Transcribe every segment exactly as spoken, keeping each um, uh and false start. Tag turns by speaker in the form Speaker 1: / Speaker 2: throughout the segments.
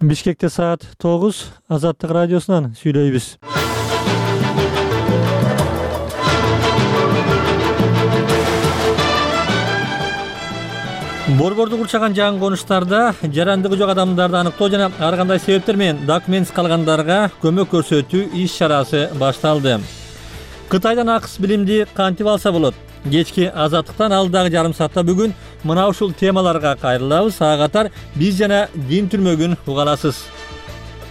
Speaker 1: Бишкекте саат тогуз, Азаттык радиосунан сүйлөйбүз. Борборду курчаган жаңы конуштарда жарандыгы жок адамдарды аныктоо жана ар кандай себептер менен документсиз калгандарга көмөк көрсөтүү иш-чарасы башталды. Кытайдан акыс билимди кантип алса болот? Кечки Азаттыктан алдагы жарым саатта бүгүн мына ушул темаларга кайрылабыз. Ага катар биз жана дин түрмөгүн уга аласыз.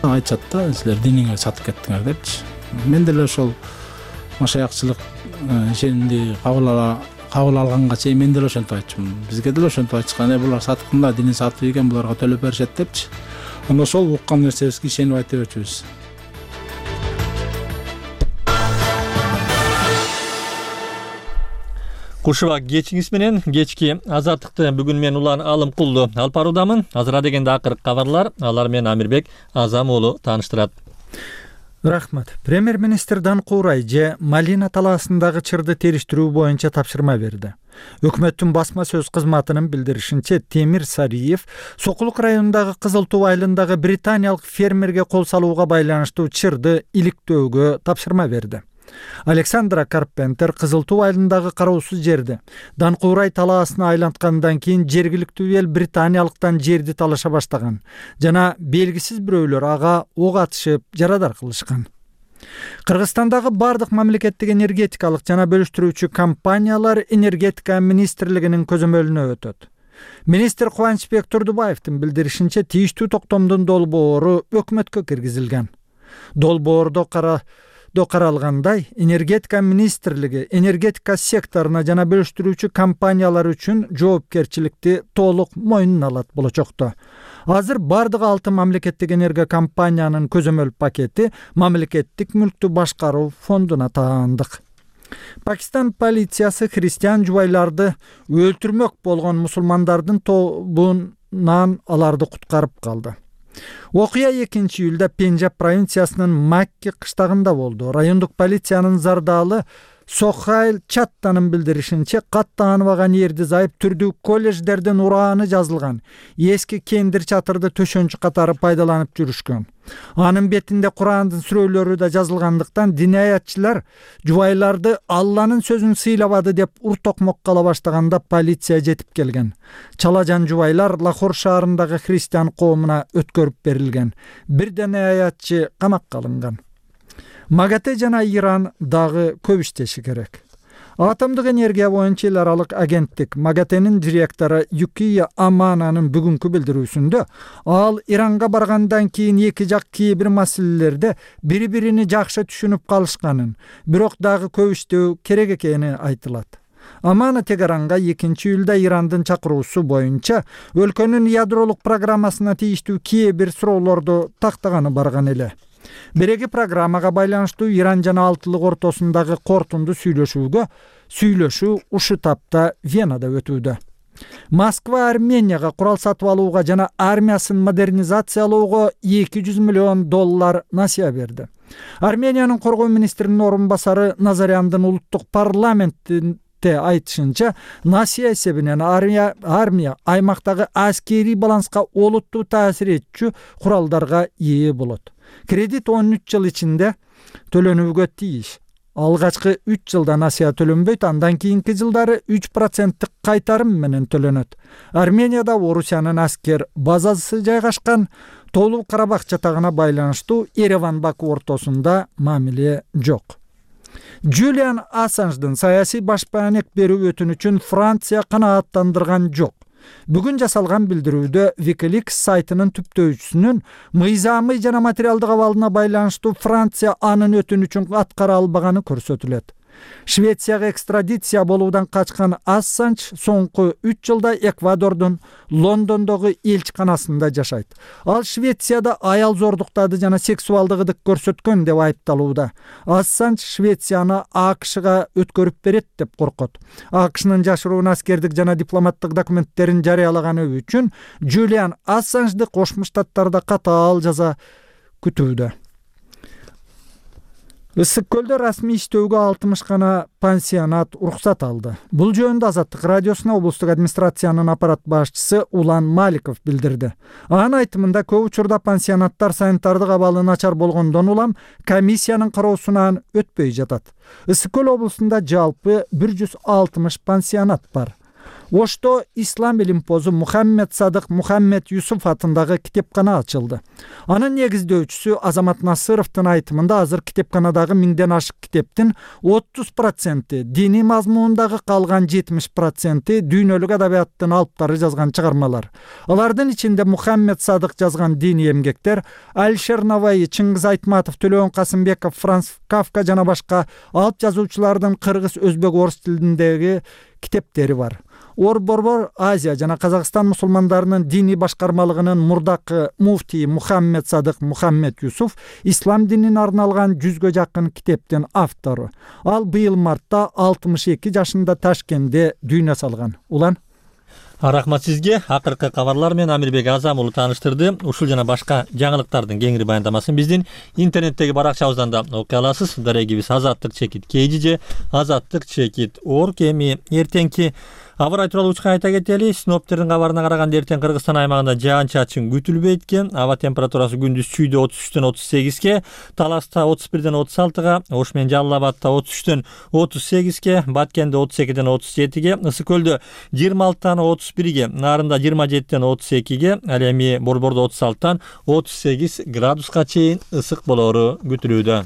Speaker 2: Айтышат да, силер диниңерди сатып кеттиңер депчи. Мен деле ошол машаякчылык ишенди кабыл ала кабыл алганга чейин мен деле ошентип айтчумун. Бизге деле ошентип айтышкан, булар саткында динин сатып экен, буларга төлөп беришет депчи. Анда ошол уккан нерсебизге ишенип айта берчүбүз.
Speaker 1: Кушуба кечиңиз менен кечки Азаттыкты бүгүн мен Улан Алымкулду алып баруудамын. Азыра дегенде акыркы кабарлар, алар менен Амирбек Азам уулу тааныштырат.
Speaker 3: Рахмат. Премьер-министр Данкурай же Малина талаасындагы чырды териштирүү боюнча тапшырма берди. Өкмөттүн басма сөз кызматынын билдиришинче, Темир Сариев Сокулук районундагы Кызыл Туу айылындагы британиялык фермерге кол салууга байланыштуу чырды иликтөөгө тапшырма берди. Александра Карпентер Кызыл Туу айылындагы кароосуз жерди Данкурай талаасына айланткандан кийин жергиликтүү эл британиялыктан жерди талаша баштаган жана белгисиз бирөөлөр ага ок атышып жарадар кылышкан. Кыргызстандагы бардык мамлекеттик энергетикалык жана бөлүштүрүүчү компаниялар энергетика министрлигинин көзөмөлүнө өтөт. Министр Кубанычбек Турдубаевдин билдиришинче, тийиштүү токтомдун долбоору өкмөткө киргизилген. Долбоордо кара до каралгандай, энергетика министрлиги энергетика секторуна жана бөлүштүрүүчү компаниялар үчүн жоопкерчиликти толук мойнуна алат болочокто. Азыр бардык алты мамлекеттик энерго компаниянын көзөмөл пакети мамлекеттик мүлктү башкаруу фондуна таандык. Пакистан полициясы христиан жубайларды өлтүрмөк болгон мусулмандардын тобунан аларды куткарып калды. Окуя экинчи июлда Пенджаб провинциясынын Макки кыштагында болду. Райондук полициянын зардалы Сохайл Чаттанын билдиришинче, каттанбаган эрди зайып түрдүү колледждерден урааны жазылган эски кендир чатырды төшөнчү катары пайдаланып жүрүшкөн. Анын бетинде Курандын сүрөлөрү да жазылгандыктан динаятчылар жубайларды Алланын сөзүн сыйлабады деп уртокмок кала баштаганда полиция жетип келген. Чалажан жубайлар Лахор шаарындагы христиан коомуна өткөрүп берилген. Бир динаятчы камакка алынган. МАГАТЭ жана Иран дагы көп иштеши керек. Атомдук энергия боюнча эл аралык агенттик МАГАТЭнин директору Юкия Амананын бүгүнкү билдирүүсүндө, ал Иранга баргандан кийин эки жак кээ бир маселелерде бири-бирини жакшы түшүнүп калышканын, бирок дагы көп иштөө керек экени айтылат. Амана Тегеранга экинчи июлда Ирандын чакыруусу боюнча өлкөнүн ядролук программасына тийиштүү кээ бир суроолорду тактаганы барган эле. Береги программага байланыштуу Иран жана Алтылык ортосундагы кортунду сүйлөшүүгө сүйлөшүү ушу тапта Венада өтүүдө. Москва Арменияга курал сатып алууга жана армиясын модернизациялоого эки жүз миллион доллар насыя берди. Армениянын коргоо министринин орун басары Назаряндын улуттук парламенттин айтышынча, насыя эсебинен армия, армия аймактагы аскерий баланска олуттуу таасир этчү куралдарга ээ болот. Кредит он үч жыл ичинде төлөнүүгө тийиш. Алгачкы үч жылда насыя төлөнбөйт, андан кийинки жылдары үч проценттик кайтарым менен төлөнөт. Арменияда Орусиянын аскер базасы жайгашкан, Тоолуу Карабах жатагына байланыштуу Ереван-Баку ортосунда мамиле жок. Джулиан Ассанждын саясий башпаанек берүү өтүнүчүн Франция канааттандырган жок. Бүгүн жасалган билдирүүдө Wikileaks сайтынын түптөөчүсүнүн мыйзамый жана материалдык абалына байланыштуу Франция анын өтүнүчүн аткара албаганы көрсөтүлөт. Швецияга экстрадиция болуудан качкан Ассанж соңку үч жылда Эквадордун Лондондогу элчиканасында жашайт. Ал Швецияда аял зордуктады жана сексуалдык ыдык көрсөткөн деп айыпталууда. Ассанж Швецияны АКШга өткөрүп берет деп коркот. АКШнын жашыруун аскердик жана дипломаттык документтерин жарыялаганы үчүн Джулиан Ассанжды Кошмо Штаттарда катаал жаза күтүүдө. Ысык көлдө расмий иштөөгө алтымыш гана пансионат уруксат алды. Бул жөнүндө Азаттык радиосуна облустук администрациянын аппарат башчысы Улан Маликов билдирди. Анын айтымында көп учурда пансионаттар санитардык абалы начар болгондон улам комиссиянын кароосунан өтпөй жатат. Ысык көл облусунда жалпы бир жүз алтымыш пансионат бар. Ошто ислам илимпозу Мухаммед Садык Мухаммед Юсуф атындагы китепкана ачылды. Анын негиздөөчүсү Азамат Насыровдун айтымында азыр китепканадагы миңден ашык китептин отуз проценти диний мазмундагы, калган жетимиш проценти дүйнөлүк адабияттын алыптары жазган чыгармалар. Алардын ичинде Мухаммед Садык жазган диний эмгектер, Алишер Наваи, Чыңгыз Айтматов, Төлөөн Касымбеков, Франц Кафка жана башка алып жазуучулардын кыргыз, өзбек, орус тилиндеги китептери бар. Ор-Борбор Азия жана Казакстан мусулмандарынын диний башкармалыгынын мурдакы муфтии Мухаммед Садык Мухаммед Юсуф ислам динине арналган жүзгө жакын китептин автору. Ал быйыл мартта алтымыш эки жашында Ташкентте дүйнө салган. Улан
Speaker 1: Рахмат сизге. Акыркы кабарлар менен Амирбек Азам уулу тааныштырды. Ушул жана башка жаңылыктардын кеңири баяндамасын биздин интернеттеги баракчабыздан да окуй аласыз. Дарегибиз азаттык чекит kg же азаттык чекит org. Эми эртеңки аба ырайы тууралуу учка айта кетели. Синоптиктердин кабарына караганда эртең Кыргызстан аймагында жаан-чачын күтүлбөйт экен. Аба температурасы күндүз Чүйдө отуз үчтөн отуз сегизге, Таласта отуз бирден отуз алтыга, Ош менен Жалал Абадта отуз үчтөн отуз сегизге, Баткенде отуз экиден отуз жетиге, Ысык көлдө жыйырма алтыдан отуз бирге, Нарында жыйырма жетиден отуз экиге, ал эми Борбордо отуз алтыдан отуз сегиз градуска чейин ысык болоору күтүлүүдө.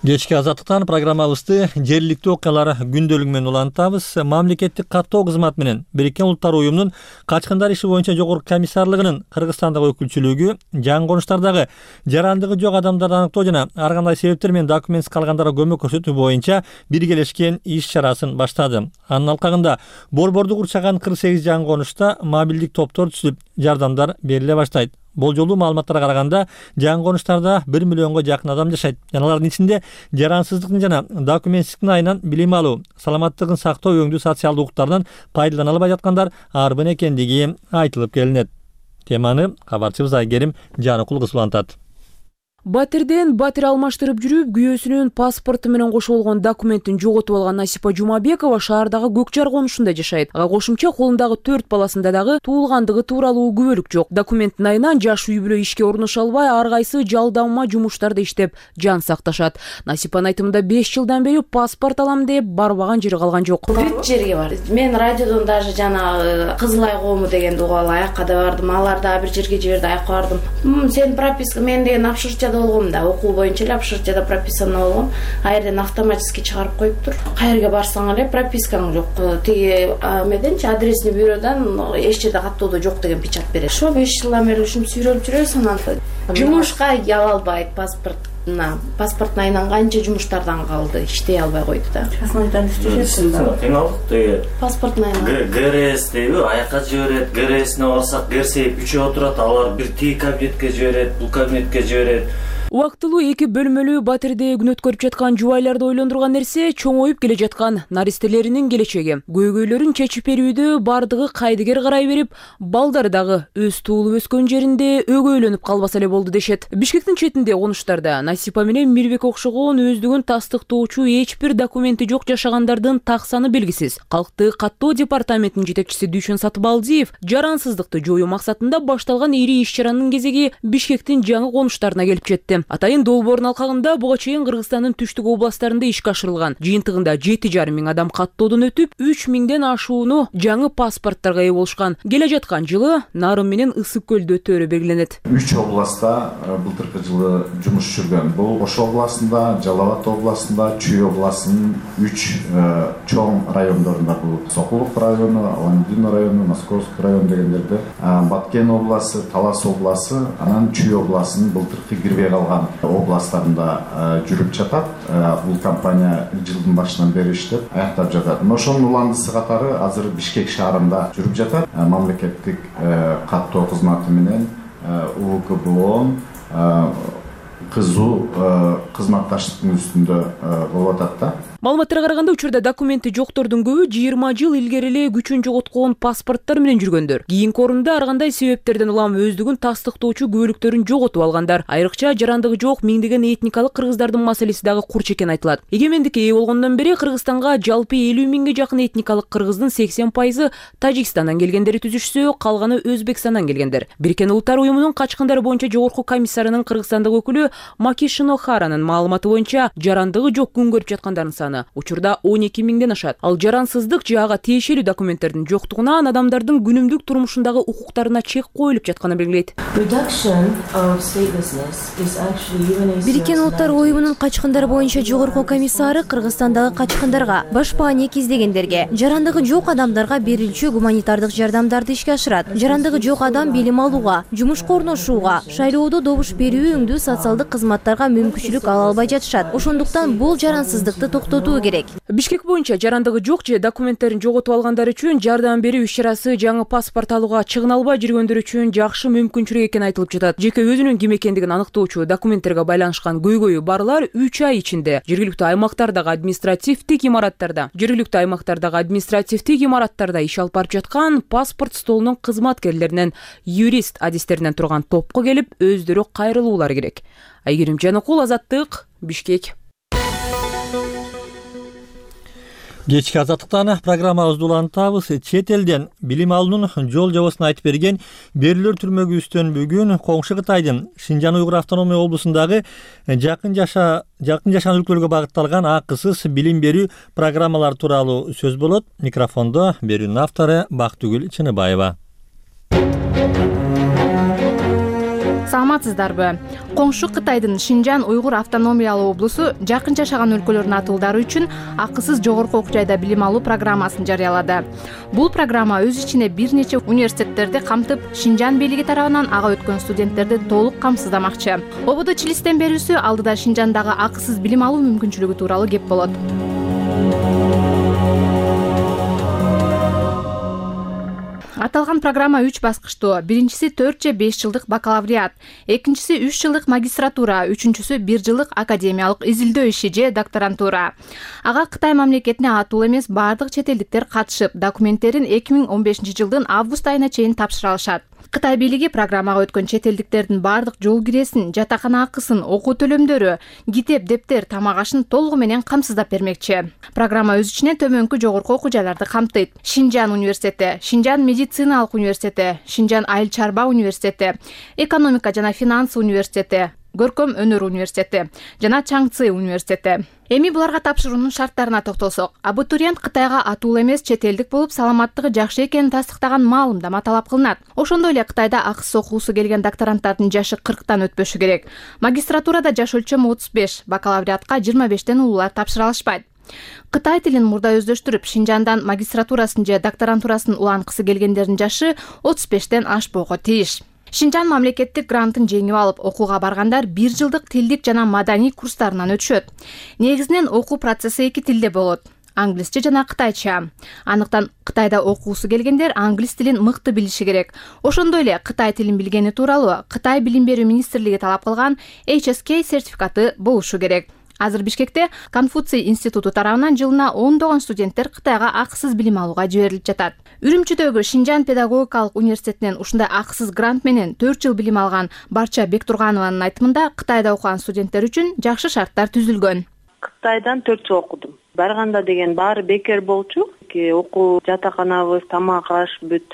Speaker 1: Кечки азаттыктан программабызды жергиликтүү окуялар күндөлүгү менен улантабыз. Мамлекеттик каттоо кызматы менен Бириккен Улуттар уюмунун качкындар иши боюнча жогорку комиссарлыгынын Кыргызстандагы өкүлчүлүгү жаңы конуштардагы жарандыгы жок адамдарды аныктоо жана ар кандай себептер менен документсиз калгандарга көмөк көрсөтүү боюнча биргелешкен иш чарасын баштады. Анын алкагында Борборду курчаган кырк сегиз жаңы конушта мобилдик топтор түзүлүп, жардамдар бериле баштайт. Болжолдуу маалыматтарга караганда жаңы конуштарда бир миллионго жакын адам жашайт. Алардын ичинде жарансыздыктын жана документсиздиктин айынан билим алуу, саламаттыгын сактоо, өңдүү социалдык укуктардан пайдалана албай жаткандар арбын экендиги айтылып келинет. Теманы кабарчыбыз Айгерим Жаныкул кыз улантат.
Speaker 4: Батирден батир алмаштырып жүрүп, күйөөсүнүн паспорту менен кошо болгон документин жоготуп алган Насипа Жумабекова шаардагы Көк Жар конушунда жашайт. Ага кошумча колундагы төрт баласында дагы туулгандыгы тууралуу күбөлүк жок. Документтин айынан жаш үй бүлө ишке орношо албай, ар кайсы жалдама жумуштарда иштеп жан сакташат. Насипанын айтымында беш жылдан бери паспорт алам деп барбаган жери калган жок.
Speaker 5: Бүт жерге бар. Мен радиодон даже жана Кызылай коому дегенди угуп аякка да бардым. Алар да бир жерге жиберди, аякка бардым. Сен прописка мен деген апшырчада болгом да, окуу боюнча эле апшырчада прописано болгом. Айрден автоматически чыгарып коюптур. Кайерге барсаң эле пропискаң жок. Тиги меденчи адресный бюродан эч жерде каттоодо жок деген печать берет. Ошо беш жылдан бери ушинтип сүйлөп жүрөбүз, анан жумушка ала албайт паспорт. Паспорттун айынан канча жумуштардан калды, иштей албай койду да.
Speaker 6: Часмайдан иштешет. Кыйналдык деги.
Speaker 5: Паспорттун айынан.
Speaker 6: ГРС дейби, аякка жиберет, ГРСине барсак, ГРСеп үчөө отурат, алар бир тиги кабинетке жиберет, бул кабинетке жиберет.
Speaker 4: Убактылуу эки бөлмөлүү батирде күн өткөрүп жаткан жубайларды ойлондурган нерсе чоңоюп келе жаткан наристелеринин келечеги. Көйгөйлөрүн чечип берүүдө бардыгы кайдыгер карай берип, балдары дагы өз туулуп өскөн жеринде өгөйлөнүп калбаса эле болду дешет. Бишкектин четинде конуштарда Насипа менен Мирбек окшогон өздүгүн тастыктоочу эч бир документи жок жашагандардын так саны белгисиз. Калкты каттоо департаментинин жетекчиси Дүйшөн Сатыбалдиев жарансыздыкты жоюу максатында башталган ири иш чаранын кезеги Бишкектин жаңы конуштарына келип жетти. Атайын долбоордун алкагында буга чейин Кыргызстандын түштүк областтарында ишке ашырылган. Жыйынтыгында жети жарым миң адам каттоодон өтүп, үч миңден ашууну жаңы паспорттарга ээ болушкан. Келе жаткан жылы Нарын менен Ысык көлдө өтөөрү белгиленет.
Speaker 7: үч областта былтыркы жылы жумуш жүргөн. Бул Ош областында, Жалал Абад областында, Чүй областынын үч чоң райондорунда, бул Сокулук району, Аландин району, Московский район дегендерде, Баткен областы, Талас областы, анан Чүй областынын былтыркы кирбей калган областтарында жүрүп жатат. Бул компания жылдын башынан бери иштеп аяктап жатат. Ошонун уландысы катары азыр Бишкек шаарында жүрүп жатат. Мамлекеттик каттоо кызматы менен У К Б О кызуу кызматташтыктын үстүндө болуп атат да.
Speaker 4: Маалыматтарга караганда учурда документи жоктордун көбү жыйырма жыл илгери эле күчүн жоготкон паспорттор менен жүргөндөр. Кийинки орунда ар кандай себептерден улам өздүгүн тастыктоочу күбөлүктөрүн жоготуп алгандар. Айрыкча жарандыгы жок миңдеген этникалык кыргыздардын маселеси дагы курч экени айтылат. Эгемендикке ээ болгондон бери Кыргызстанга жалпы элүү миңге жакын этникалык кыргыздын сексен пайызы Тажикстандан келгендери түзүшсө, калганы Өзбекстандан келгендер. Бириккен Улуттар уюмунун качкындар боюнча жогорку комиссарынын Кыргызстандык өкүлү Маки Шинохаранын маалыматы боюнча жарандыгы жок күн көрүп жаткандардын саны учурда он эки миңден ашат. Ал жарансыздык же ага тиешелүү документтердин жоктугунан адамдардын күнүмдүк турмушундагы укуктарына чек коюлуп жатканын белгилейт.
Speaker 8: Бириккен Улуттар уюмунун качкындар боюнча жогорку комиссары Кыргызстандагы качкындарга, башпаа негиздегендерге, жарандыгы жок адамдарга берилчү гуманитардык жардамдарды ишке ашырат. Жарандыгы жок адам билим алууга, жумушка орношууга, шайлоодо добуш берүү өңдүү социалдык кызматтарга мүмкүнчүлүк ала албай жатышат. Ошондуктан бул жарансыздыкты токтотуу керек.
Speaker 4: Бишкек боюнча жарандыгы жок же документтерин жоготуп алгандар үчүн жардам берүү иш-чарасы жаңы паспорт алууга чыгына албай жүргөндөр үчүн жакшы мүмкүнчүлүк экени айтылып жатат. Жеке өзүнүн ким экендигин аныктоочу документтерге байланышкан көйгөйү барлар үч ай ичинде жергиликтүү аймактардагы административдик имараттарда, жергиликтүү аймактардагы административдик имараттарда иш алып барып жаткан паспорт столунун кызматкерлеринен, юрист адистеринен турган топко келип өздөрү кайрылуулары керек. Айгерим Жаныкул, Азаттык, Бишкек.
Speaker 1: Кечки Азаттыктан программабызды улантабыз. Чет элден билим алуунун жол жобосун айтып берген Берилер түрмөгүбүздөн бүгүн коңшу Кытайдын Шинжан Уйгур автономия облусундагы жакын жаша жакын жашаган өлкөлөргө багытталган акысыз билим берүү программалары тууралуу сөз болот. Микрофондо берүүнүн автору Бактыгүл Чыныбаева.
Speaker 9: Саламатсыздарбы? Коңшу Кытайдын Шинжан Уйгур автономиялуу облусу жакын жашаган өлкөлөрдүн атуулдары үчүн акысыз жогорку окуу жайда билим алуу программасын жарыялады. Бул программа өз ичине бир нече университеттерди камтып, Шинжан бийлиги тарабынан ага өткөн студенттерди толук камсыздамакчы. Ободо Чилистен берүүсү алдыда Шинжандагы акысыз билим алуу мүмкүнчүлүгү тууралуу кеп болот. Аталган программа үч баскычтуу. Биринчиси төрт же беш жылдык бакалавриат, экинчиси үч жылдык магистратура, үчүнчүсү бир жылдык академиялык изилдөө иши же докторантура. Ага Кытай мамлекетине атуу эмес бардык чет элдиктер катышып, документтерин эки миң он бешинчи жылдын август айына чейин тапшыра алышат. Кытай бийлиги программага өткөн чет элдиктердин бардык жол киресин, жатакана акысын, окуу төлөмдөрү, китеп, дептер, тамак ашын толугу менен камсыздап бермекчи. Программа өз ичине төмөнкү жогорку окуу жайларды камтыйт. Шинжан университети, Шинжан медициналык университети, Шинжан айыл чарба университети, экономика жана финанс университети, Көркөм өнөр университети жана Чаңцы университети. Эми буларга тапшыруунун шарттарына токтолсок, абитуриент Кытайга атуу эмес чет элдик болуп, саламаттыгы жакшы экенин тастыктаган маалымдама талап кылынат. Ошондой эле Кытайда акысыз окуусу келген докторанттардын жашы кырктан өтпөшү керек. Магистратурада жаш өлчөмү отуз беш, бакалавриатка жыйырма бештен улуулар тапшыра алышпайт. Кытай тилин мурда өздөштүрүп, Шинжандан магистратурасын же докторантурасын уланткысы келгендердин жашы отуз бештен ашпоого тийиш. Шинжан мамлекеттик грантын жеңип алып, окууга баргандар бир жылдык тилдик жана маданий курстарынан өтүшөт. Негизинен окуу процесси эки тилде болот. Англисче жана кытайча. Андыктан Кытайда окуусу келгендер англис тилин мыкты билиши керек. Ошондой эле Кытай тилин билгени тууралуу Кытай билим берүү министрлиги талап кылган эйч эс кей сертификаты болушу керек. Азыр Бишкекте Конфуций институту тарабынан жылына ондогон студенттер Кытайга акысыз билим алууга жиберилип жатат. Үрүмчүдөгү Шинжан педагогикалык университетинен ушундай акысыз грант менен төрт жыл билим алган Барча Бектурганованын айтымында, Кытайда окуган студенттер үчүн жакшы шарттар түзүлгөн.
Speaker 10: Кытайдан төрт жыл окудум. Барганда деген баары бекер болчу. Окуу жатаканабыз, тамак аш, бүт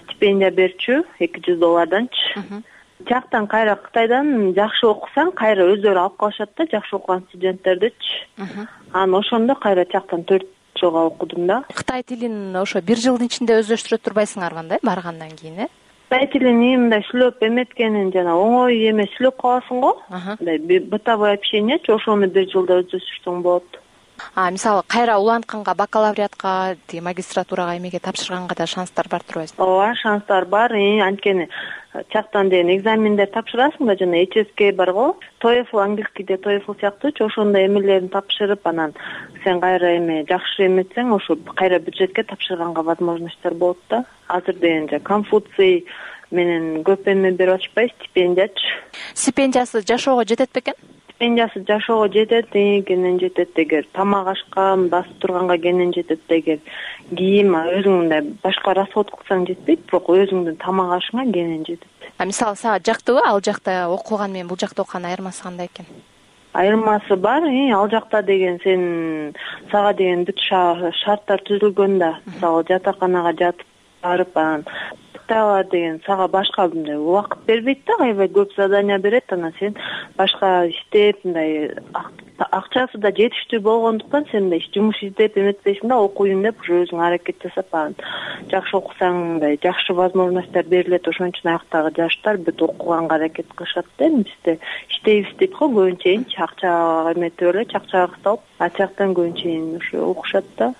Speaker 10: стипендия берчү эки жүз долларданчы. Жактан кайра Кытайдан жакшы окусаң, кайра өздөрү алып калышат да, жакшы окуган студенттердичи. Анан ошондо кайра жактан төрт жылга окудум да.
Speaker 9: Кытай тилин ошо бир жылдын ичинде өздөштүрө турбайсыңарбы андай баргандан кийин, э?
Speaker 10: Кытай тилин мындай сүйлөп эметкенин жана оңой эмес сүйлөп каласың го. Мындай бытовое общениечи, ошону бир жылда өздөштүрсөң болот.
Speaker 9: А, мисалы, кайра улантканга, бакалавриатка, магистратурага эмеге тапшырганга да шанстар бар турбайсыңбы?
Speaker 10: Ооба, шанстар бар. Анткени чактан деген экзамендер тапшырасың да, жана эйч эс кей бар го. TOEFL англискийде TOEFL сыяктуучу, ошондой эмелерин тапшырып, анан сен кайра эме жакшы эметсең, ошо кайра бюджетке тапшырганга возможностьтор болот да. Азыр деген же Конфуций менен көп эме берип атышпайбы, стипендиячы.
Speaker 9: Стипендиясы жашоого жетет бекен?
Speaker 10: стипендиясы жашоого жетет, кенен жетет эгер тамак ашка басып турганга кенен жетет эгер кийим өзүң мындай башка расход кылсаң жетпейт, бирок өзүңдүн тамак ашыңа кенен жетет.
Speaker 9: А мисалы сага жактыбы ал жакта окуган менен бул жакта окуган айырмасы кандай экен?
Speaker 10: Айырмасы бар. Ал жакта деген сен сага деген бүт шарттар түзүлгөн да. Мисалы жатаканага жатып барып анан Кытайлар деген сага башка мындай убакыт бербейт да, аябай көп задания берет, анан сен башка иштеп мындай акчасы да жетиштүү болгондуктан сен мындай жумуш издеп эметпейсиң да, окуйюн деп ушу өзүң аракет жасап анан жакшы окусаң мындай жакшы возможностьтор берилет. Ошон үчүн аяктагы жаштар бүт окуганга аракет кылышат да. Бизде иштейбиз дейт го, көбүнчө акча эметип эле, акчага кысталып, а жактан көбүнчө ушу окушат да.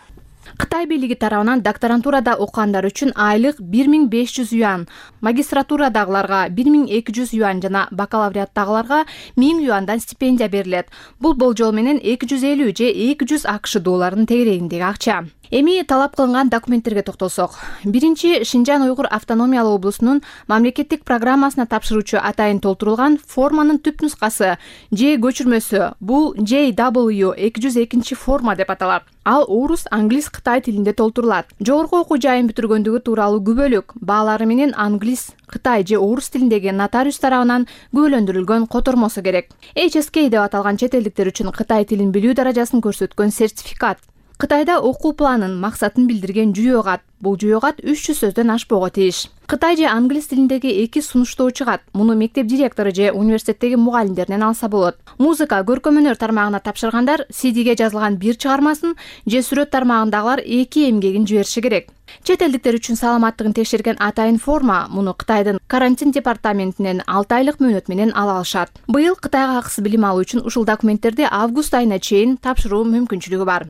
Speaker 9: Кытай бийлиги тарабынан докторантурада окугандар үчүн айлык бир миң беш жүз юан, магистратурадагыларга бир миң эки жүз юан жана бакалавриаттагыларга миң юандан стипендия берилет. Бул болжол менен эки жүз элүү же эки жүз акш долларынын тегерегиндеги акча. Эми талап кылынган документтерге токтолсок. Биринчи, Шинжан Уйгур автономиялык облусунун мамлекеттик программасына тапшыруучу атайын толтурулган форманын түп нускасы же көчүрмөсү. Бул J W эки жүз экинчи форма деп аталат. Ал орус, англис, кытай тилинде толтурулат. Жогорку окуу жайын бүтүргөндүгү тууралуу күбөлүк, баалары менен англис, кытай же орус тилиндеги нотариус тарабынан күбөлөндүрүлгөн котормосу керек. H S K деп аталган чет элдиктер үчүн кытай тилин билүү даражасын көрсөткөн сертификат. Кытайда окуу планын, максатын билдирген жүйө кат. Бул жүйө кат үч жүз сөздөн ашпого тийиш. Кытай же англис тилиндеги эки сунуштоо чыгат. Муну мектеп директору же университеттеги мугалимдеринен алса болот. Музыка, көркөм өнөр тармагына тапшыргандар си диге жазылган бир чыгармасын же сүрөт тармагындагылар эки эмгегин жибериши керек. Чет элдиктер үчүн саламаттыгын текшерген атайын форма муну Кытайдын карантин департаментинен алты айлык мөөнөт менен ала алышат. Быйыл Кытайга акысыз билим алуу үчүн ушул документтерди август айына чейин тапшыруу мүмкүнчүлүгү бар.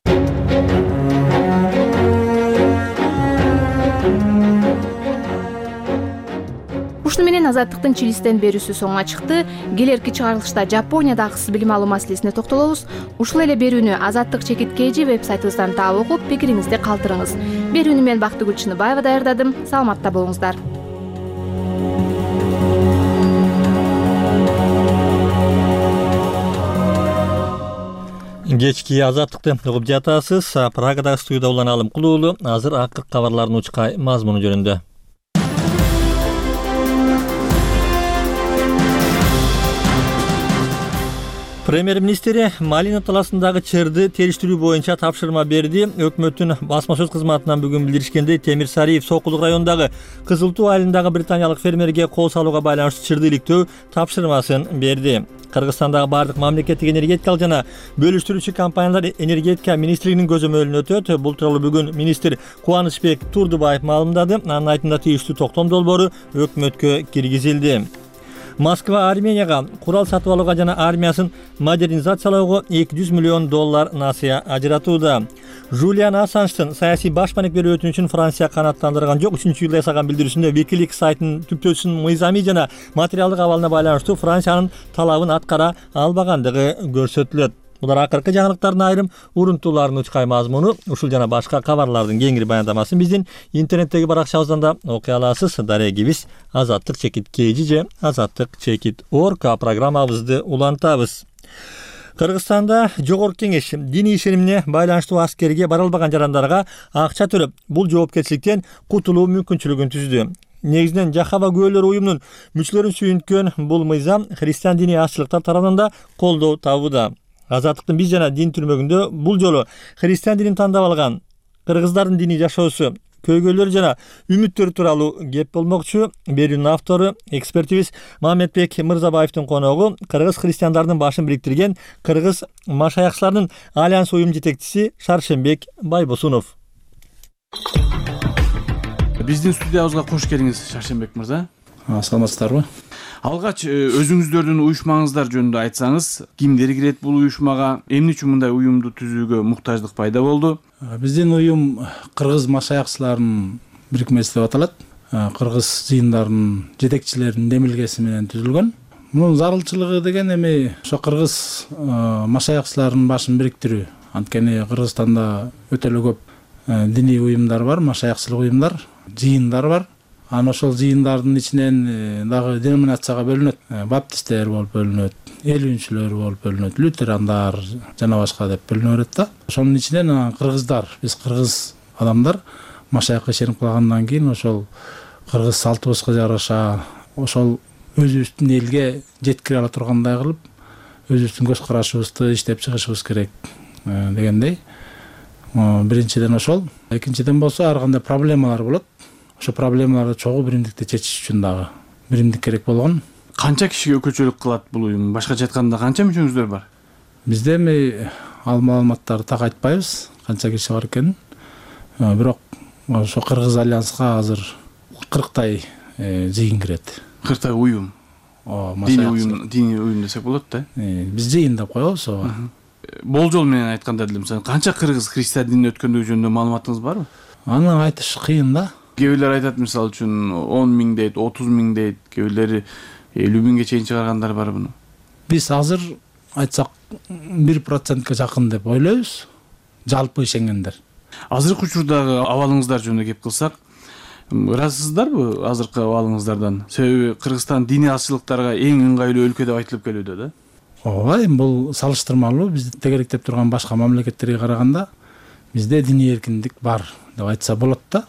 Speaker 9: Ушуну менен Азаттыктын Чилистен берүүсү соңуна чыкты. Келерки чыгарылышта Жапонияда акысыз билим алуу маселесине токтолобуз. Ушул эле берүүнү Азаттык чекит kg веб-сайтыбыздан таап окуп, пикириңизди калтырыңыз. Берүүнү мен Бактыгүл Чыныбаева даярдадым. Саламатта болуңуздар.
Speaker 1: Кечки Азаттыкты угуп жатасыз. Прагадагы студияда улан Алым Кулуулу. Азыр акыркы кабарлардын учкай мазмуну жөнүндө. Премьер-министри Малина талаасындагы чырды териштирүү боюнча тапшырма берди. Өкмөттүн басма сөз кызматынан бүгүн билдиришкендей, Темир Сариев Сокулук районундагы Кызыл Туу айылындагы британиялык фермерге кол салууга байланыштуу чырды иликтөө тапшырмасын берди. Кыргызстандагы бардык мамлекеттик энергетикалык жана бөлүштүрүүчү компаниялар энергетика министрлигинин көзөмөлүнө өтөт. Бул тууралуу бүгүн министр Кубанычбек Турдубаев маалымдады. Анын айтымында тийиштүү токтом долбоору өкмөткө киргизилди. Москва Арменияга курал сатып алууга жана армиясын модернизациялоого эки жүз миллион доллар насыя ажыратууда. Жулиан Ассанждын саясий башпаник берүү өтүнүчүн Франция канааттандырган жок. Үчүнчү июлда ясаган билдирүүсүндө Wikileaks сайтынын түптөөсүнүн мыйзамий жана материалдык абалына байланыштуу Франциянын талабын аткара албагандыгы көрсөтүлөт. Булар акыркы жаңылыктардын айрым урунтууларынын учкай мазмуну. Ушул жана башка кабарлардын кеңири баяндамасын биздин интернеттеги баракчабыздан да окуй аласыз. Дарегибиз Азаттык чекит kg же Азаттык чекит org программабызды улантабыз. Кыргызстанда жогорку кеңеш диний ишенимине байланыштуу аскерге бара албаган жарандарга акча төлөп, бул жоопкерчиликтен кутулуу мүмкүнчүлүгүн түздү. Негизинен Жахава күбөлөр уюмунун мүчөлөрүн сүйүнткөн бул мыйзам христиан диний азчылыктар тарабынан да колдоо табууда. Азаттыктын биз жана дин түрмөгүндө бул жолу христиан динин тандап алган кыргыздардын диний жашоосу, көйгөйлөрү жана үмүттөрү тууралуу кеп болмокчу. Берүүнүн автору экспертибиз Мамедбек Мырзабаевдин коногу кыргыз христиандардын башын бириктирген кыргыз машаякчыларынын альянс уюм жетекчиси Шаршембек Байбосунов.
Speaker 11: Биздин студиябызга кош келиңиз, Шаршембек мырза.
Speaker 2: Саламатсыздарбы?
Speaker 11: Алгач өзүңүздөрдүн уюшмаңыздар жөнүндө айтсаңыз, кимдер кирет бул уюшмага, эмне үчүн мындай уюмду түзүүгө муктаждык пайда болду?
Speaker 2: Биздин уюм кыргыз машаякчыларынын бирикмеси деп аталат. Кыргыз жыйындарынын жетекчилеринин демилгеси менен түзүлгөн. Мунун зарылчылыгы деген эми ошо кыргыз машаякчыларынын башын бириктирүү. Анткени Кыргызстанда өтө эле көп диний уюмдар бар, машаякчылык уюмдар, жыйындар бар. Анан ошол жыйындардын ичинен дагы деноминацияга бөлүнөт. Баптисттер болуп бөлүнөт, элүүнчүлөр болуп бөлүнөт, лютерандар жана башка деп бөлүнө берет да. Ошонун ичинен кыргыздар, биз кыргыз адамдар машаякка ишенип калгандан кийин ошол кыргыз салтыбызга жараша ошол өзүбүздүн элге жеткире ала тургандай кылып, өзүбүздүн көз карашыбызды иштеп чыгышыбыз керек дегендей. Биринчиден ошол, экинчиден болсо ар кандай проблемалар болот. Ошо проблемаларды чогуу биримдикте чечиш үчүн дагы биримдик керек болгон.
Speaker 11: Канча кишиге өкүлчүлүк кылат бул уюм? Башкача айтканда канча мүчөңүздөр бар?
Speaker 2: Бизде эми ал маалыматтарды так айтпайбыз, канча киши бар экенин. Бирок ошо Кыргыз альянска азыр кырктай жыйын кирет.
Speaker 11: кырктай уюм. Диний уюм, диний уюм десек болот да.
Speaker 2: Биз жыйын деп коебуз ооба.
Speaker 11: Болжол менен айтканда деле мисалы канча кыргыз христиан динин өткөндүгү жөнүндө маалыматыңыз барбы?
Speaker 2: Аны айтыш кыйын да.
Speaker 11: Кээ бирлер айтат мисалы үчүн он миң дейт, отуз миң дейт, кээ бирлери элүү миңге чейин чыгаргандар бар буну.
Speaker 2: Биз азыр айтсак бир процентке жакын деп ойлойбуз. Жалпы ишенгендер.
Speaker 11: Азыркы учурдагы абалыңыздар жөнүндө кеп кылсак, ыраазысыздарбы азыркы абалыңыздардан? Себеби Кыргызстан диний азчылыктарга эң ыңгайлуу өлкө деп айтылып келүүдө да.
Speaker 2: Ооба, эми бул салыштырмалуу бизди тегеректеп турган башка мамлекеттерге караганда бизде диний эркиндик бар деп айтса болот да.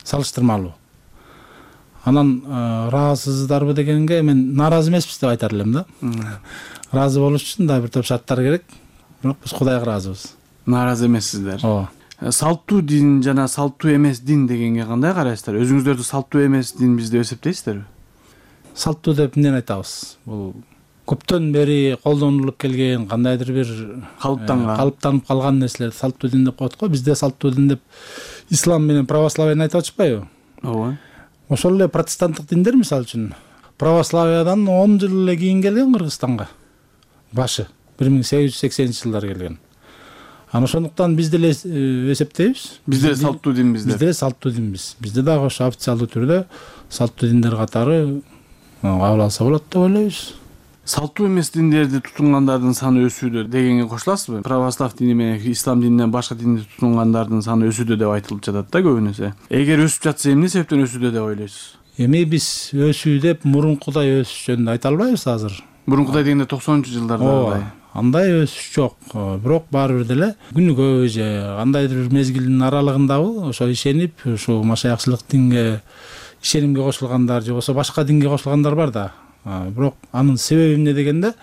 Speaker 2: Салыштырмалуу. Анан ыраазысыздарбы дегенге мен нааразы эмеспиз деп айтар элем да. Ыраазы болуш үчүн да бир топ шарттар керек. Бирок биз Кудайга ыраазыбыз.
Speaker 11: Нааразы эмессиздер.
Speaker 2: Ооба.
Speaker 11: Салттуу дин жана салттуу эмес дин дегенге кандай карайсыздар? Өзүңүздөрдү салттуу эмес дин биз деп эсептейсиздерби?
Speaker 2: Салттуу деп эмнени айтабыз? Бул көптөн бери колдонулуп келген кандайдыр бир
Speaker 11: калыптанган
Speaker 2: калыптанып калган нерселерди салттуу дин деп коет го. Бизде салттуу дин деп ислам менен православияны айтып атышпайбы?
Speaker 11: Ооба.
Speaker 2: Ошол эле протестанттык диндер мисалы үчүн православиядан он жыл эле кийин келген Кыргызстанга. Башы бир миң сегиз жүз сексенинчи жылдары келген. Анан ошондуктан биз деле эсептейбиз.
Speaker 11: Бизде салттуу динбиз.
Speaker 2: Бизде салттуу динбиз. Бизде дагы ошо официалдуу түрдө салттуу диндер катары кабыл алса болот деп ойлойбуз.
Speaker 11: Салттуу эмес диндерди тутунгандардын саны өсүүдө дегенге кошуласызбы? Православ дини менен ислам дининен башка динди тутунгандардын саны өсүүдө деп айтылып жатат да көбүнөсү. Эгер өсүп жатса эмне себептен өсүүдө деп ойлойсуз?
Speaker 2: Эми биз өсүү деп мурункудай өсүш жөнүндө айта албайбыз азыр.
Speaker 11: Мурункудай дегенде токсонунчу жылдарда
Speaker 2: андай өсүш жок. Бирок баары бир деле күнүгө же кандайдыр бир мезгилдин аралыгындабы ошо ишенип, ушу машаякчылык динге ишенимге кошулгандар же болбосо башка динге кошулгандар бар да. Бирок анын себеби эмне дегенде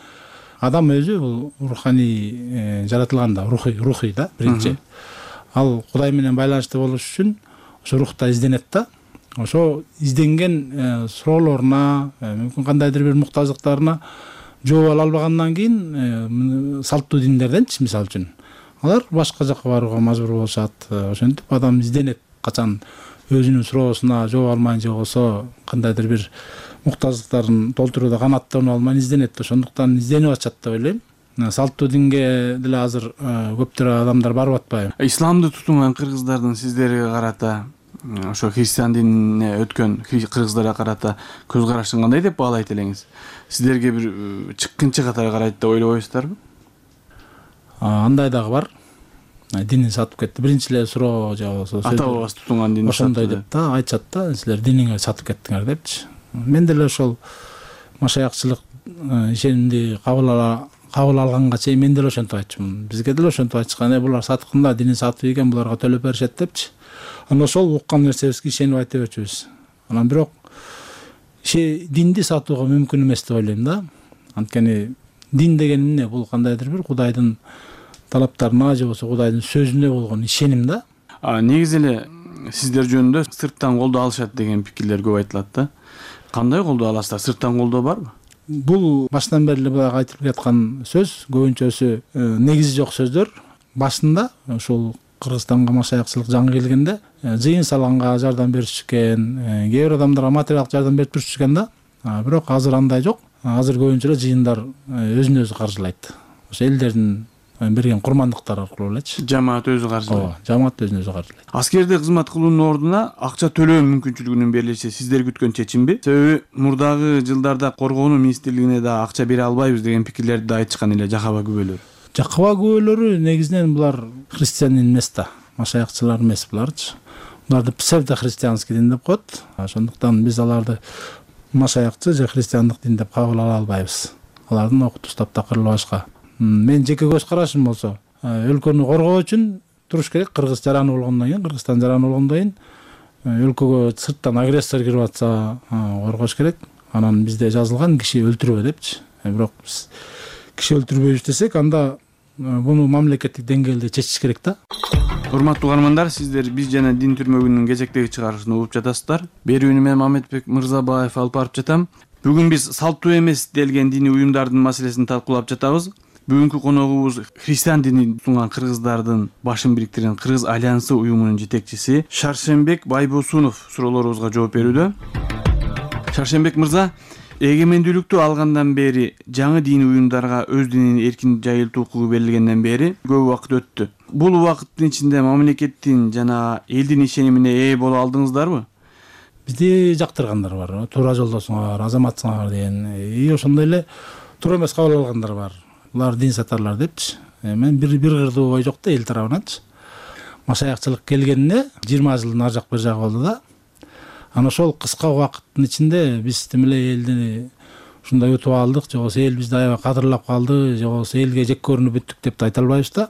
Speaker 2: адам өзү бул руханий жаратылган да, рухий, рухий да биринчи. Ал Кудай менен байланышты болуш үчүн ошо рухта изденет да. Ошо изденген суроолоруна, мүмкүн кандайдыр бир муктаждыктарына жооп ала албагандан кийин салттуу диндерденчи мисалы үчүн алар башка жакка барууга мажбур болушат. Ошентип адам изденет качан өзүнүн суроосуна жооп алмай же болбосо кандайдыр бир муктаждыктарын толтурууда канааттанып алмай изденет. Ошондуктан изденип атышат деп ойлойм. Салттуу динге деле азыр көптөр адамдар барып атпайбы?
Speaker 11: Исламды тутунган кыргыздардын сиздерге карата, ошо христиан динине өткөн кыргыздарга карата көз карашын кандай деп баалайт элеңиз? Сиздерге бир чыккынчы катары карайт деп ойлобойсуздарбы?
Speaker 2: Андай дагы бар. Динин сатып кетти. Биринчи эле суроо же болбосо
Speaker 11: ата бабасы тутунган динди
Speaker 2: ошондой деп да айтышат да, силер диниңерди сатып кеттиңер депчи. Мен деле ошол машаякчылык ишенимди кабыл ала кабыл алганга чейин мен деле ошентип айтчумун. Бизге деле ошентип айтышкан, э булар саткында динин сатып ийген, буларга төлөп беришет депчи. Анан ошол уккан нерсебизге ишенип айта берчүбүз. Анан бирок динди сатууга мүмкүн эмес деп ойлойм да. Анткени дин деген эмне? Бул кандайдыр бир Кудайдын талаптарына же болбосо Кудайдын сөзүнө болгон ишеним да.
Speaker 11: А негизи эле сиздер жөнүндө сырттан колдоо алышат деген пикирлер көп айтылат да. Кандай колдоо аласыздар? Сырттан колдоо барбы?
Speaker 2: Бул баштан бери эле буга айтылып жаткан сөз, көбүнчөсү негизи жок сөздөр. Башында ушул Кыргызстанга машаякчылык жаңы келгенде жыйын салганга жардам беришкен, кээ бир адамдарга материалдык жардам берип турушкан да. Бирок азыр андай жок. Азыр көбүнчө эле жыйындар өзүн өзү каржылайт. Ошо элдердин берген курмандыктар аркылуу элечи.
Speaker 11: Жамаат өзү каржылайт.
Speaker 2: Ооба, жамаат өзүн өзү каржылайт.
Speaker 11: Аскерде кызмат кылуунун ордуна акча төлөө мүмкүнчүлүгүнүн берилиши сиздер күткөн чечимби? Себеби мурдагы жылдарда коргонуу министрлигине да акча бере албайбыз деген пикирлерди да айтышкан эле жакаба күбөлөр.
Speaker 2: Жакаба күбөлөрү негизинен булар христиан эмес да, машаякчылар эмес буларчы. буларды псевдохристианский дин деп коет. Ошондуктан биз аларды машаякчы же христиандык дин деп кабыл ала албайбыз. Алардын окутуу таптакырылуу башка. Мен жеке көз карашым болсо, өлкөнү коргоо үчүн туруш керек. Кыргыз жараны болгондон кийин, Кыргызстан жараны болгондон кийин өлкөгө сырттан агрессор кирип атса коргош керек. Анан бизде жазылган киши өлтүрбө депчи. Бирок биз киши өлтүрбөйбүз десек, анда буну мамлекеттик деңгээлде чечиш керек да.
Speaker 11: Урматтуу угармандар, сиздер биз жана Дин түрмөгүнүн кезектеги чыгарышын угуп жатасыздар. Берүүнү мен Мамедбек Мырзабаев алып барып жатам. Бүгүн биз салттуу эмес делген диний уюмдардын маселесин талкуулап жатабыз. Бүгүнкү коногубуз христиан динин тутунган кыргыздардын башын бириктирген Кыргыз альянсы уюмунун жетекчиси Шаршембек Байбосунов суроолорубузга жооп берүүдө. Шаршембек мырза, эгемендүүлүктү алгандан бери жаңы диний уюмдарга өз динин эркин жайылтуу укугу берилгенден бери көп убакыт өттү. Бул убакыттын ичинде мамлекеттин жана элдин ишенимине ээ боло алдыңыздарбы?
Speaker 2: Бизди жактыргандар бар, туура жолдосуңар, азаматсыңар деген, и ошондой эле туура эмес кабыл алгандар бар. Булар дин сатарлар депчи. Мен бир бир кырдуу ой жок да эл тарабынанчы. Машаякчылык келгенине жыйырма жылдын ар жак бир жагы болду да. Анан ошол кыска убакыттын ичинде биз тим эле элди ушундай утуп алдык, же болбосо эл бизди аябай кадырлап калды, же болбосо элге жек көрүнүп бүттүк деп да айта албайбыз да.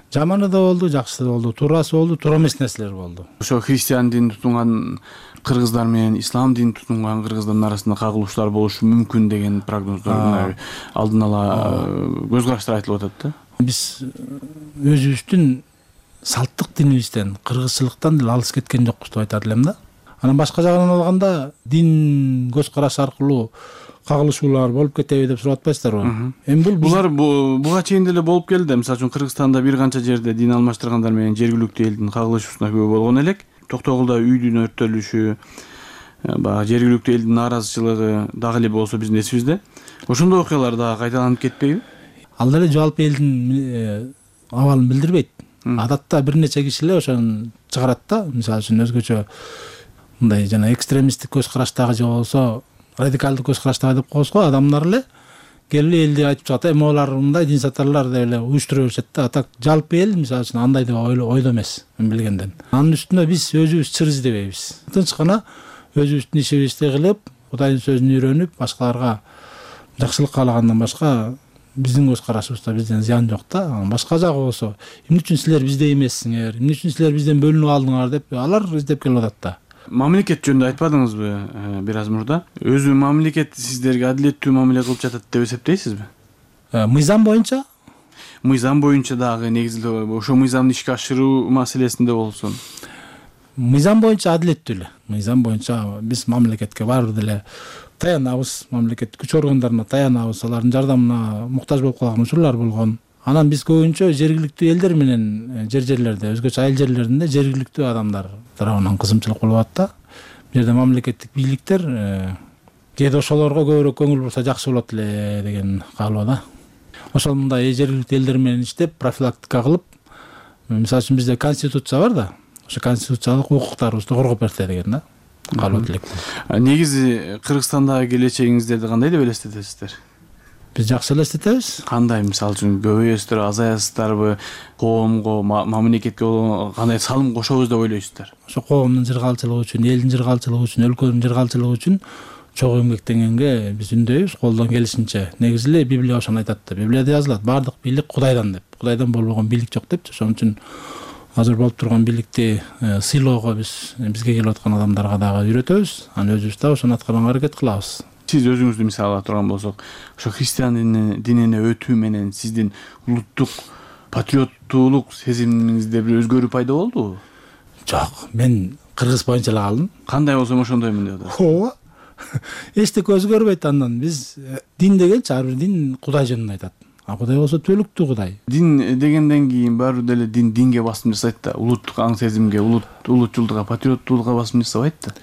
Speaker 2: Жаманы да болду, жакшысы да болду, туурасы болду, туура эмес нерселер болду.
Speaker 11: Ошо христиан дин тутунган кыргыздар менен ислам дин тутунган кыргыздардын арасында кагылыштар болушу мүмкүн деген прогноздор алдын ала көз караштар айтылып атат да.
Speaker 2: Биз өзүбүздүн салттык динибизден, кыргызчылыктан деле алыс кеткен жокпуз деп айтар элем да. Анан башка жагынан алганда дин көз караш аркылуу кагылышуулар болуп кетеби деп сурап атпайсыздарбы?
Speaker 11: Эми бул булар буга чейин деле болуп келди. Мисалы үчүн Кыргызстанда бир канча жерде дин алмаштыргандар менен жергиликтүү элдин кагылышуусуна күбө болгон элек. Токтогулда үйдүн өрттөлүшү, баягы жергиликтүү элдин нааразычылыгы дагы эле болсо биздин эсибизде. Ошондой окуялар дагы кайталанып кетпейби?
Speaker 2: Ал деле жалпы элдин абалын билдирбейт. Адатта бир нече киши эле ошону чыгарат да. Мисалы үчүн өзгөчө мындай жана экстремисттик көз караштагы же болбосо радикалдык көз караштагы деп коебуз го адамдар эле келип элди айтып чыгат. Эми алар мындай дин сатарлар деп эле уюштура беришет да. А так жалпы эл мисалы үчүн андай деп ойдо эмес, мен билгенден. Анын үстүнө биз өзүбүз чыр издебейбиз. Тынч гана өзүбүздүн ишибизди кылып, Кудайдын сөзүн үйрөнүп, башкаларга жакшылык каалагандан башка биздин көз карашыбызда бизден зыян жок да. Башка жагы болсо, эмне үчүн силер бизде эмессиңер, эмне үчүн силер бизден бөлүнүп алдыңар деп алар издеп келип атат да.
Speaker 11: Мамлекет жөнүндө айтпадыңызбы бир аз мурда? Өзү мамлекет сиздерге адилеттүү мамиле кылып жатат деп эсептейсизби?
Speaker 2: Мыйзам боюнча?
Speaker 11: Мыйзам боюнча дагы негизинде ошо мыйзамды ишке ашыруу маселесинде болсун.
Speaker 2: Мыйзам боюнча адилеттүү эле. Мыйзам боюнча биз мамлекетке баары бир деле таянабыз, мамлекет күч органдарына таянабыз, алардын жардамына муктаж болуп калган учурлар болгон. Анан биз көбүнчө жергиликтүү элдер менен жер жерлерде, өзгөчө айыл жерлеринде жергиликтүү адамдар тарабынан кызымчылык болуп атат да. Бул жерде мамлекеттик бийликтер кээде ошолорго көбүрөөк көңүл бурса жакшы болот эле деген каалоо да. Ошол мындай жергиликтүү элдер менен иштеп, профилактика кылып, мисалы үчүн бизде конституция бар да. Ошо конституциялык укуктарыбызды коргоп берсе деген да. Каалоо тилек.
Speaker 11: Негизи Кыргызстандагы келечегиңиздерди кандай деп элестетесиздер?
Speaker 2: Биз жакшы элестетебиз.
Speaker 11: Кандай, мисалы үчүн көбөйөсүздөр, азаясыздарбы, коомго, мамлекетке кандай салым кошобуз деп ойлойсуздар?
Speaker 2: Ошо коомдун жыргалчылыгы үчүн, элдин жыргалчылыгы үчүн, өлкөнүн жыргалчылыгы үчүн чогуу эмгектенгенге биз үндөйбүз, колдон келишинче. Негизи эле Библия ошону айтат да. Библияда жазылат, баардык бийлик Кудайдан деп. Кудайдан болбогон бийлик жок депчи. Ошон үчүн азыр болуп турган бийликти сыйлоого биз бизге келип аткан адамдарга дагы үйрөтөбүз. Анан өзүбүз да ошону аткарганга аракет кылабыз.
Speaker 11: Сиз өзүңүздү мисал ала турган болсок, ошо христиан динине өтүү менен сиздин улуттук патриоттуулук сезимиңизде бир өзгөрүү пайда болдубу?
Speaker 2: Жок, мен кыргыз боюнча эле калдым.
Speaker 11: Кандай болсом ошондоймун деп атасыз.
Speaker 2: Ооба. Эчтеке өзгөрбөйт андан. Биз дин дегенчи ар бир дин Кудай жөнүндө айтат. А Кудай болсо түбөлүктүү Кудай.
Speaker 11: Дин дегенден кийин баары деле дин динге басым жасайт да, улуттук аң сезимге, улутчулдукка, патриоттуулукка басым жасабайт да.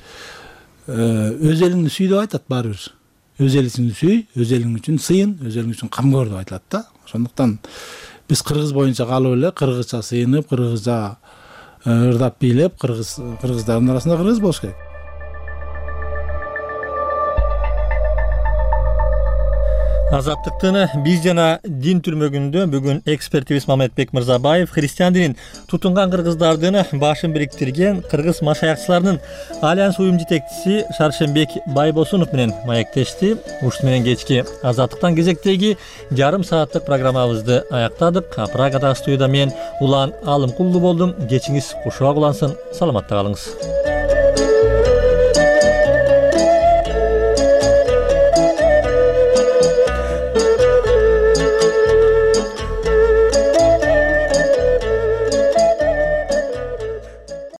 Speaker 2: Өз элиңди сүй деп айтат баары бир. Өз элиңди сүй, өз элиң үчүн сыйын, өз элиң үчүн камкор деп айтылат да. Ошондуктан биз кыргыз боюнча калып эле кыргызча сыйынып, кыргызча ырдап бийлеп, кыргыз кыргыздардын арасында кыргыз болуш керек.
Speaker 1: Азаттыктын биз жана дин түрмөгүндө бүгүн экспертибиз Мамедбек Мырзабаев христиан динин тутунган кыргыздардын башын бириктирген кыргыз машаякчыларынын альянс уюм жетекчиси Шаршембек Байбосунов менен маектешти. Ушул менен кечки Азаттыктан кезектеги жарым сааттык программабызды аяктадык. Прагада студияда мен Улан Алымкулду болдум. Кечиңиз кушуак улансын. Саламатта калыңыз.